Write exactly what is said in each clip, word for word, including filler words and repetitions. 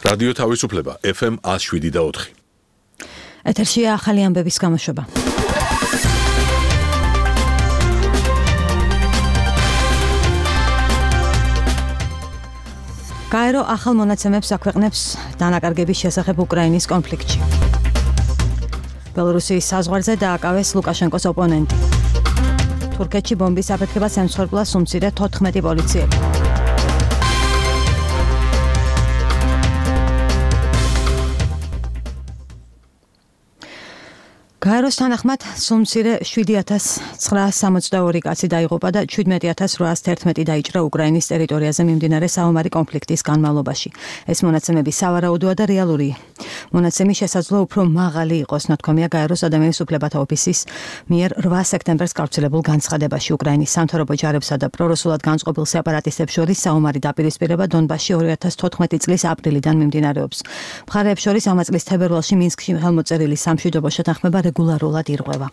რადიო თავისუფლება ეფ ემ one oh seven და four. ეთერშია ახალი ამბების გამოშვება. გაერო ახალ მონაცემებს აქვეყნებს დანაკარგების შესახებ უკრაინის კონფლიქტში. ბელორუსიის საზღვარზე დააკავეს ლუკაშენკოს ოპონენტი. თურქეთში ბომბის აფეთქებას ემსხვერპლა უმცირე თოთხმეტი პოლიციელი. გაეროს თანახმად უმცირე seven thousand nine hundred sixty-two კაცი დაიღუპა და seventeen thousand eight hundred eleven დაიჭრა უკრაინის ტერიტორიაზე მიმდინარე საომარი კონფლიქტის განმავლობაში. ეს მონაცემები სავარაუდოა და რეალური. მონაცემი შესაძლოა უფრო მაღალი იყოს, ნათქვამია გაეროს ადამიანის უფლებათა ოფისის მიერ eight სექტემბერს გავრცელებულ განცხადებაში. უკრაინის სამთავრობო ჯარებსა და პრორუსულად განწყობილ სეპარატისტებს შორის საომარი დაპირისპირება დონბასში two thousand fourteen წლის აპრილიდან მიმდინარეობს. მხარეებს შორის ამ წლის თებერვალში მინსკში ხელმოწერილი სამშვიდობო შეთანხმება რეგულარულად ირღვევა.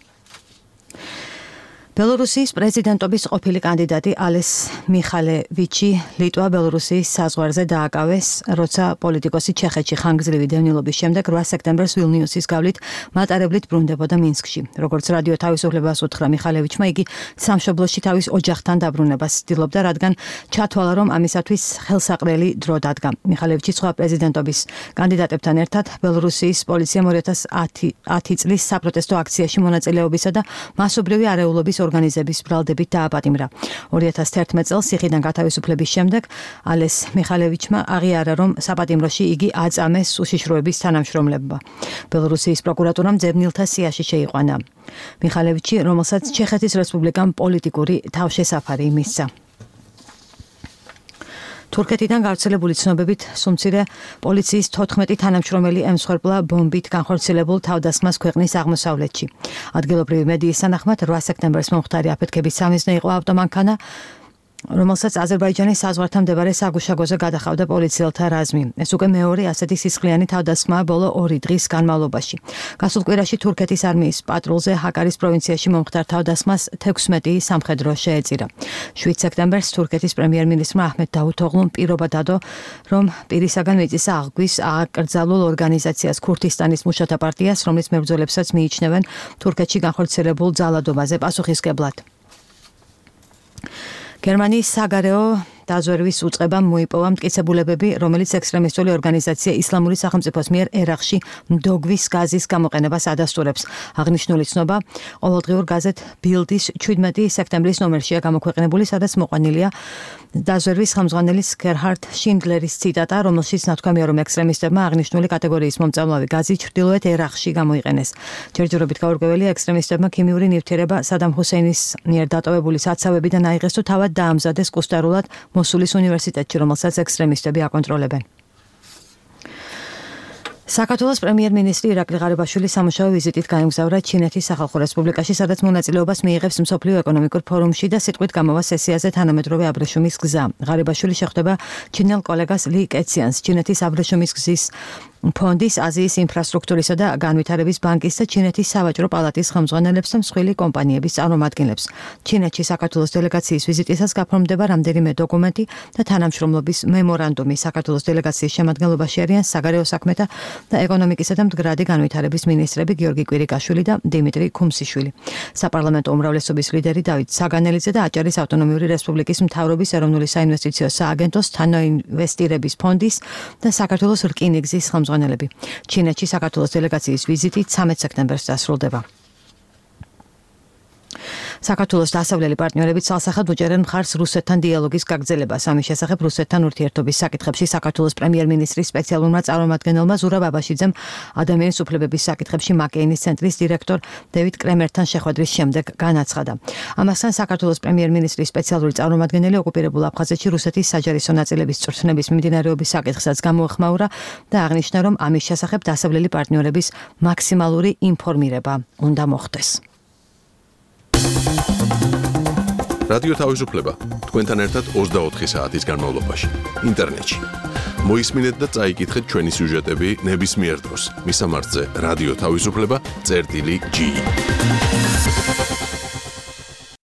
ბელორუსიის პრეზიდენტობის ყოფილი კანდიდატი ალეს მიხალევიჩი ლიტვა ბელორუსიის საზღვარზე დააკავეს, როცა პოლიტიკოსი ჩეხეთში ხანგრძლივი დევნილობის შემდეგ eight სექტემბერს ვილნიუსის გავლით მატარებლით ბრუნდებოდა მინსკში. როგორც რადიო თავისუფლებას უთხრა მიხალევიჩმა, იგი სამშობლოში თავის ოჯახთან დაბრუნებას ცდილობდა, რადგან ჩათვალა, რომ ამისათვის ხელსაყრელი დრო დადგა. მიხალევიჩი სხვა პრეზიდენტობის კანდიდატებთან ერთად ბელორუსიის პოლიციამ two thousand ten წლის საპროტესტო აქციაში მონაწილეობისა და მასობრივი არეულობის ორგანიზების ბრალდებით დააპატიმრა. two thousand eleven წელს ციხიდან გათავისუფლების შემდეგ ალეს მიხალევიჩმა აღიარა, რომ საპატიმროში იგი აწამეს უშიშროების თანამშრომლებმა. ბელორუსიის პროკურატურამ ძებნილთა სიაში შეიყვანა. მიხალევიჩი, რომელსაც ჩეხეთის რესპუბლიკამ პოლიტიკური თავშესაფარი მისცა. თურქეთიდან გავრცელებული ცნობებით უმცირე პოლიციის fourteen თანამშრომელი ემსხვერპლა ბომბით განხორციელებულ თავდასხმას ქვეყნის აღმოსავლეთში. ადგილობრივი მედიის თანახმად eight სექტემბერს მომხდარი აფეთქების სამიზნე იყო ავტომანქანა, რომელსაც აზერბაიჯანის საზღვართან მდებარე საგუშაგოზე გადახავდა პოლიციელთა რაზმი. ეს უკვე მეორე ასეთი სისხლიანი თავდასხმაა ბოლო ორი დღის განმავლობაში. გასულ კვირაში თურქეთის არმიის პატრულზე ჰაკარის პროვინციაში მომხდარ თავდასხმას sixteen სამხედრო შეეწირა. seven სექტემბერს თურქეთის პრემიერ-მინისტრმა აჰმედ დავუთოღლუმ პირობა დადო, რომ პირისაგან მიწის აღგვის აკრძალულ ორგანიზაციას ქურთისტანის მუშათა პარტიას, რომლის მებრძოლებსაც მიიჩნევენ თურქეთში განხორციელებულ ძალადობაზე პასუხისმგებლად. გერმანიის საგარეო დაზვერვის უწყებამ მოიპოვა მტკიცებულებები, რომელიც ექსტრემისტული ორგანიზაცია ისლამური სახელმწიფოს მიერ ერაყში მდოგვის გაზის გამოყენებას ადასტურებს. აღნიშნული ცნობა ყოველდღიურ გაზეთ ბილდის seventeen სექტემბრის ნომერშია გამოქვეყნებული, სადაც მოყვანილია დაზვერვის ხელმძღვანელის გერჰარდ შინდლერის ციტატა, რომელშიც ნათქვამია, რომ ექსტრემისტებმა აღნიშნული კატეგორიის მომწამლავი გაზი ჩრდილოეთ ერაყში გამოიყენეს. ჯერჯერობით გაურკვეველია, ექსტრემისტებმა ქიმიური ნივთიერება სადამ ჰუსეინის მიერ დატოვებული საცავებიდან აიღეს თუ თავად დაამზადეს კუსტარულად მოსულის უნივერსიტეტში, რომელსაც ექსტრემისტები აკონტროლებენ. საქართველოს პრემიერ-მინისტრი ირაკლი ღარიბაშვილი სამუშაო ვიზიტით გაემგზავრა ჩინეთის სახალხო რესპუბლიკაში, სადაც მონაწილეობას მიიღებს მსოფლიო ეკონომიკურ ფორუმში და სიტყვით გამოვა სესიაზე თანამედროვე აბრეშუმის გზა. ღარიბაშვილი შეხვდება ჩინელ კოლეგას ლი კეციანს, ჩინეთის აბრეშუმის გზის ფონდის, აზიის ინფრასტრუქტურისა და განვითარების ბანკის და ჩინეთის სავაჭრო პალატის ხელმძღვანელებს და მსხვილი კომპანიების წარმომადგენლებს. ჩინეთში საქართველოს დელეგაციის ვიზიტისას გაფორმდება რამდენიმე დოკუმენტი და თანამშრომლობის მემორანდუმი. საქართველოს დელეგაციის შემადგენლობაში არიან საგარეო საქმეთა და ეკონომიკისა და მდგრადი განვითარების მინისტრები გიორგი კვირიკაშვილი და დიმიტრი ქუმსიშვილი. საპარლამენტო უმრავლესობის ლიდერი დავით საგანელიძე და აჭარის ავტონომიური რესპუბლიკის მთავრობის ეროვნული საინვესტიციო სააგენტოს თანაინვესტირების ფონდის და საქართველოს რკინიგზის ხელმძღვანელები. ჩინეთში საქართველოს დელეგაციის ვიზიტი thirteen სექტემბერს დასრულდება. საქართველოს დასავლელი პარტნიორები ცალსახად უჭერენ მხარს რუსეთთან დიალოგის გაგრძელებას. ამის შესახებ რუსეთთან ურთიერთობის საკითხებში საქართველოს პრემიერ-მინისტრის სპეციალურმა წარმომადგენელმა ზურაბ აბაშიძემ ადამიანის უფლებების საკითხებში მაკეინის ცენტრის დირექტორ დევიდ კრემერთან შეხვედრის შემდეგ განაცხადა. ამასთან საქართველოს პრემიერ-მინისტრის სპეციალური წარმომადგენელი ოკუპირებულ აფხაზეთში რუსეთის საჯარისო ნაწილების წვრთნების მიმდინარეობის საკითხსაც გამოეხმაურა და აღნიშნა, რომ ამის შესახებ დასავლელი პარტნიორების მაქსიმალური ინფორმირება უნდა მოხდეს. რადიო თავისუფლება თქვენთან ერთად twenty-four საათის განმავლობაში ინტერნეტში. მოისმინეთ და წაიკითხეთ ჩვენი სიუჟეტები ნებისმიერ დროს. მისამართზე რადიო თავისუფლება წერტილი ჯი.